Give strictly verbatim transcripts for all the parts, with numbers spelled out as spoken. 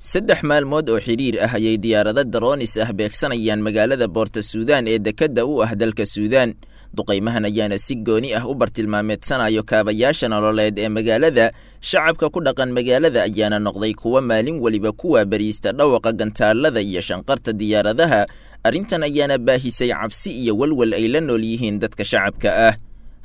Saddex maalmood oo xidhiir ah ayay diyaarado daroonis ah beegsanayaan magaalada Boorta Suudaan ee dekedda u ah dalka Suudaan. Duqaymahan ayaana si gooni ah u bartilmaameedsanayo kaabayaasha nololeed ee magaalada. Shacabka ku dhaqan magaalada ayaana noqday kuwa maalin weliba kuwa bariista dhawaqa gantaalada iyo shanqarta diyaaradaha. Arrintan ayaana baahisay cabsi iyo walwal ay la nool yihiin dadka shacabka ah.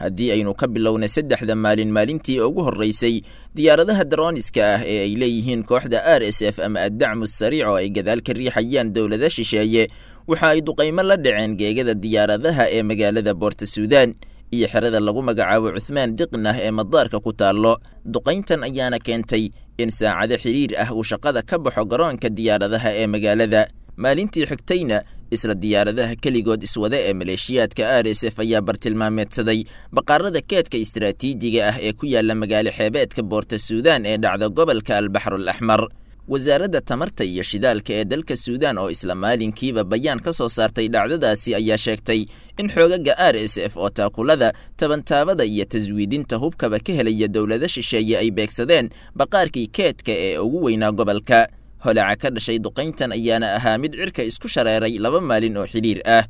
Haddii aynu ka bilowna saddexda maalin, maalintii ugu horreysay diyaaradaha darooniska ah ee ay leeyihiin kooxda R S F ama addacmu sariic oo ay gadaal ka riixayaan dowlada shisheeye, waxa ay duqaymo la dhaceen geegada diyaaradaha ee magaalada Boorta Suudaan iyo xerada lagu magacaabo Cuthmaan Diqnah ee madaarka ku taallo. Duqayntan ayaana keentay in saacado xiriir ah uu shaqada ka baxo garoonka diyaaradaha ee magaalada. Maalintii xigtayna isla diyaaradaha keligood iswada ee maleeshiyaadka R S F ayaa bartilmaameedsaday baqaarada keedka istiraatiijiga ah ee ku yaala magaalo xeebeedka Boorta Suudaan ee dhacda gobolka Albaxrul Axmar. Wasaaradda tamarta iyo shidaalka ee dalka Suudaan oo isla maalinkiiba bayaan ka soo saartay dhacdadaasi ayaa sheegtay in xoogaga R S F oo taakulada, tabantaabada iyo taswiidinta hubkaba ka helaya dowlada shisheeye ay beegsadeen baqaarkii keedka ee ugu weynaa gobolka. Holaca ka dhashay duqayntan ayaana ahaa mid cirka isku shareeray laba maalin oo xidhiir ah.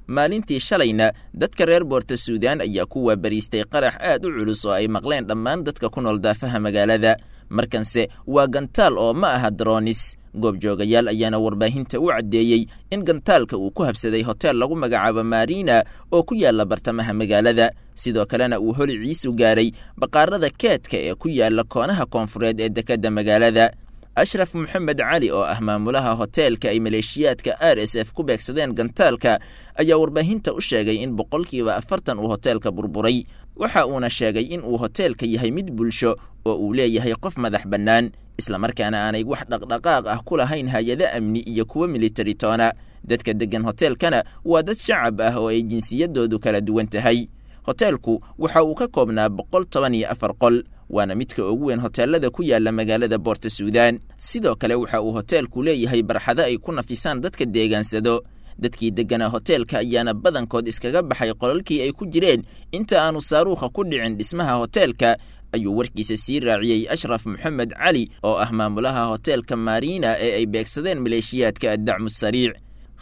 Maalintii shalayna dadka reer Boorta Suudaan ayaa ku waabariistay qarax aad u culus oo ay maqleen dhammaan dadka ku nool daafaha magaalada. Markanse waa gantaal oo ma aha droonis. Goobjoogayaal ayaana warbaahinta u caddeeyey in gantaalka uu ku habsaday hotel lagu magacaabo Marina oo ku yaala bartamaha magaalada, sidoo kalena uu holiciisu gaaray baqaarada keedka ee ku yaala koonaha koonfureed ee dekedda magaalada. Ashraf Maxamed Cali oo ah maamulaha hoteelka ay maleeshiyaadka R S F ku beegsadeen gantaalka ayaa warbaahinta u sheegay in boqolkiiba afartan uu hoteelka burburay. Waxa uuna sheegay in uu hoteelka yahay mid bulsho oo uu leeyahay qof madax bannaan, isla markaana aanay wax dhaqdhaqaaq ah ku lahayn hay-ado amni iyo kuwa militari toona. Dadka deggan hoteelkana waa dad shacab ah oo ay jinsiyadoodu kala duwan tahay. Hoteelku waxa uu ka koobnaa boqol toban iyo afar qol, waana midka ugu weyn hoteelada ku yaala magaalada Boorta Suudaan. Sidoo kale waxa uu hoteelku leeyahay barxado ay ku nafisaan dadka deegaansado. Dadkii degganaa hoteelka ayaana badankood iskaga baxay qolalkii ay ku jireen inta aanu saaruukha ku dhicin dhismaha hoteelka, ayuu warkiisa sii raaciyey Ashraf Maxamed Cali oo ah maamulaha hoteelka Marina ee ay beegsadeen maleeshiyaadka addacmu sariic.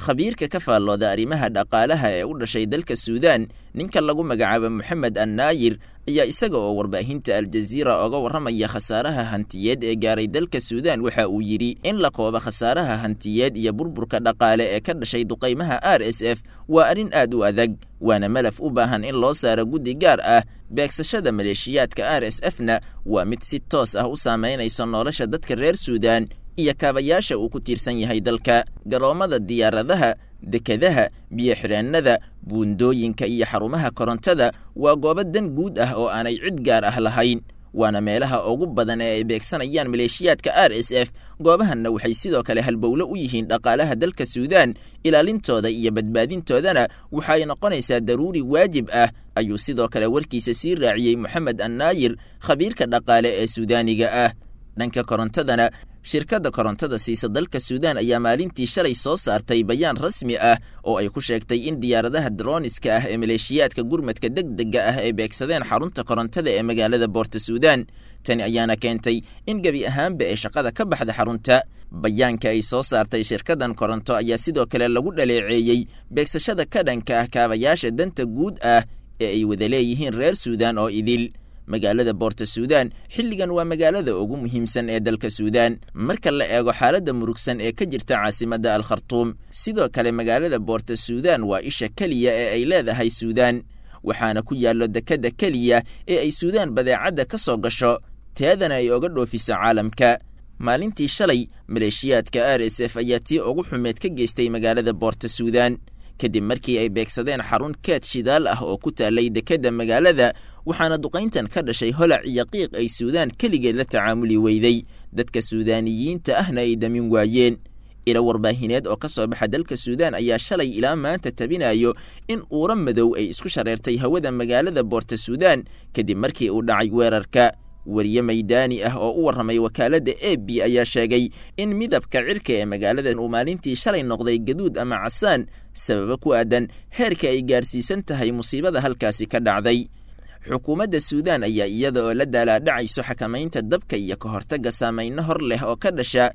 Khabiirka ka faallooda arrimaha dhaqaalaha ee u dhashay dalka Suudaan, ninka lagu magacaabo Maxamed Annaayir, ayaa isaga oo warbaahinta Aljazeera oga warramaya khasaaraha hantiyeed ee gaaray dalka Suudaan waxa uu yidhi in la koobo khasaaraha hantiyeed iyo burburka dhaqaale ee ka dhashay duqaymaha R S F waa arrin aad u adag, waana malaf u baahan in loo saaro guddi gaar ah. Beegsashada maleeshiyaadka R S F-na waa mid si toos ah u saameynaysa nolosha dadka reer Suudaan iyo kaabayaasha uu ku tiirsan yahay dalka. Garoomada diyaaradaha, dekedaha, biyo-xireennada, buundooyinka iyo xarumaha korontada waa goobo dan guud ah oo aanay cid gaar ah lahayn, waana meelaha ugu badan ee ay beegsanayaan maleeshiyaadka R S F. Goobahanna waxay sidoo kale halbowlo u yihiin dhaqaalaha dalka Suudaan. Ilaalintooda iyo badbaadintoodana waxay noqonaysaa daruuri waajib ah, ayuu sidoo kale warkiisa sii raaciyey Maxamed Annaayir, khabiirka dhaqaale ee Suudaaniga ah. Dhanka korontadana, shirkadda korontada siisa dalka Suudaan ayaa maalintii shalay soo saartay bayaan rasmi ah oo ay ku sheegtay in diyaaradaha droniska ah ee maleeshiyaadka gurmadka degdega ah ay beegsadeen xarunta korontada ee magaalada Boorta Suudaan. Tani ayaana keentay in gebi ahaanba ee shaqada ka baxda xarunta. Bayaanka ay soo saartay shirkaddan koronto ayaa sidoo kale lagu dhaleeceeyey beegsashada ka dhanka ah kaabayaasha danta guud ah ee ay wada leeyihiin reer Suudaan oo idil. Magaalada Boorta Suudaan xilligan waa magaalada ugu muhiimsan ee dalka Suudaan marka la eego xaaladda murugsan ee ka jirta caasimadda Al Khartoum. Sidoo kale magaalada Boorta Suudaan waa isha keliya ee ay leedahay Suudaan, waxaana ku yaallo dekedda keliya ee ay Suudaan badeecadda ka soo gasho, teedana ay oga dhoofiso caalamka. Maalintii shalay maleeshiyaadka R S F ayaa tii ugu xumeed ka geystay magaalada Boorta Suudaan kadib markii ay beegsadeen xarun keed shidaal ah oo ku taalay dekedda magaalada, waxaana duqayntan ka dhashay holac iyo qiiq ay Suudaan keligeed la tacaamuli weyday, dadka Suudaaniyiinta ahna ay damin waayeen. Ilo warbaahineed oo ka soo baxa dalka Suudaan ayaa shalay ilaa maanta tabinayo in uura madow ay isku shareertay hawada magaalada Boorta Suudaan kadib markii uu dhacay weerarka. Wariye maydaani ah oo u warramay wakaaladda A B ayaa sheegay in midabka cirka ee magaalada uu maalintii shalay noqday gaduud ama casaan, sababo ku aadan heerka ay gaarsiisan tahay musiibada halkaasi ka dhacday. Xukuumadda Suudaan ayaa iyada oo la daalaadhacayso xakamaynta dabka iyo ka hortagga saameynno hor leh oo ka dhasha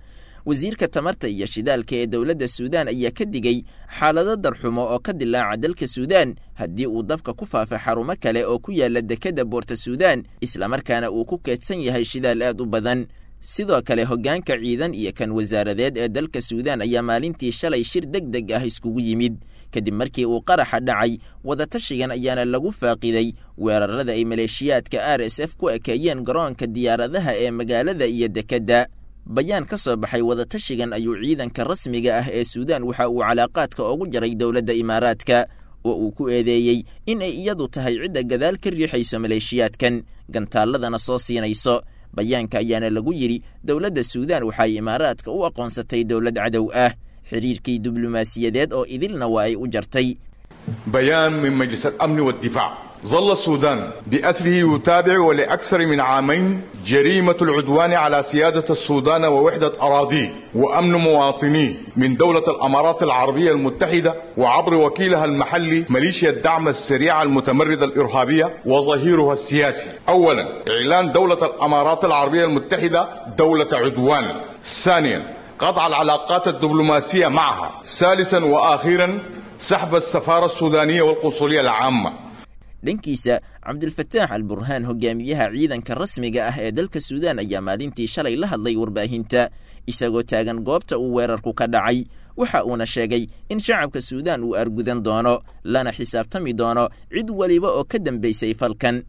Wasiirka tamarta iyo shidaalka ee dowladda Suudaan ayaa ka digay xaalado darxumo oo ka dilaaca dalka Suudaan haddii uu dabka ku faafa xarumo kale oo ku yaala dekedda Boorta Suudaan, islamarkaana uu ku keedsan yahay shidaal aad u badan. Sidoo kale hoggaanka ciidan iyo kan wasaaradeed ee dalka Suudaan ayaa maalintii shalay shir deg deg ah iskugu yimid kadib markii uu qaraxa dhacay. Wadatashigan ayaana lagu faaqiday weerarada ay maleeshiyaadka R S F ku ekeeyeen garoonka diyaaradaha ee magaalada iyo dekedda. Bayaan ka soo baxay wadatashigan ayuu ciidanka rasmiga ah ee Suudaan waxa uu calaaqaadka ugu jaray dowladda Imaaraadka, oo uu ku eedeeyey in ay iyadu tahay cidda gadaal ka riixayso maleeshiyaadkan, gantaaladana soo siinayso. Bayaanka ayaana lagu yidhi dowladda Suudaan waxay Imaaraadka u aqoonsatay dowlad cadow ah, xiriirkii diblomaasiyadeed oo idilna waa ay u jartay. بيان من مجلس الأمن والدفاع: ظل السودان بأثره يتابع ولأكثر من عامين جريمة العدوان على سيادة السودان ووحدة أراضيه وأمن مواطنيه من دولة الأمارات العربية المتحدة وعبر وكيلها المحلي ميليشيا الدعم السريع المتمردة الإرهابية وظهيرها السياسي. أولا، إعلان دولة الأمارات العربية المتحدة دولة عدوان. ثانيا، قطع العلاقات الدبلوماسية معها. ثالثا وأخيرا، سحب السفارة السودانية والقنصلية العامة. Dhankiisa, Cabdilfataax Alburhaan, hogaamiyaha ciidanka rasmiga ah ee dalka Suudaan, ayaa maalintii shalay la hadlay warbaahinta isagoo taagan goobta uu weerarku ka dhacay. Waxa uuna sheegay in shacabka Suudaan uu argudan doono lana xisaabtami doono cid waliba oo ka dambaysay falkan.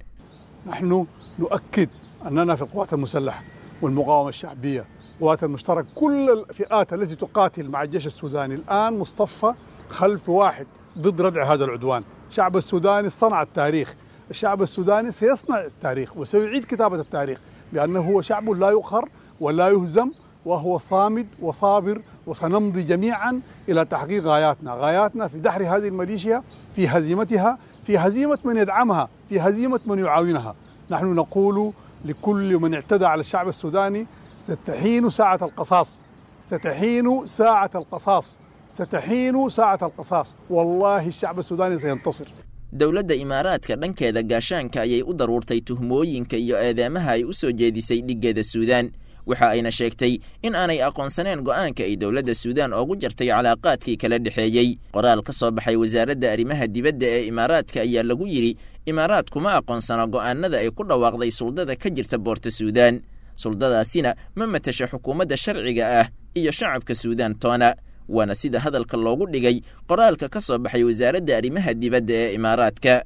نحن نؤكد أننا في القوات المسلحة والمقاومة الشعبية، قوات المشترك، كل الفئات التي تقاتل مع الجيش السوداني الآن مصطفى خلف واحد ضد ردع هذا العدوان. الشعب السوداني صنع التاريخ، الشعب السوداني سيصنع التاريخ وسيعيد كتابة التاريخ بأنه هو شعب لا يقهر ولا يهزم، وهو صامد وصابر، وسنمضي جميعا إلى تحقيق غاياتنا، غاياتنا في دحر هذه الميليشيا، في هزيمتها، في هزيمة من يدعمها، في هزيمة من يعاونها. نحن نقول لكل من اعتدى على الشعب السوداني: ستحين ساعة القصاص، ستحين ساعة القصاص، ستحين ساعة القصاص، والله الشعب السوداني سينتصر. Dowladda Imaaraadka dhankeeda gaashaanka ayay u daruurtay tuhmooyinka iyo eedeemaha ay u soo jeedisay dhiggeeda Suudaan, waxa ayna sheegtay in aanay aqoonsaneen go'aanka ay dowladda Suudaan ugu jartay calaaqaadkii kala dhexeeyey. Qoraal ka soo baxay wasaaradda arrimaha dibadda ee Imaaraadka ayaa lagu yidhi Imaaraadku ma aqoonsano go'aanada ay ku dhawaaqday suldada ka jirta Boorta Suudaan, suldadaasina ma matasha xukuumadda sharciga ah iyo shacabka Suudaan toona. Waana sida hadalka loogu dhigay qoraalka ka soo baxay wasaaradda arrimaha dibadda ee Imaaraadka.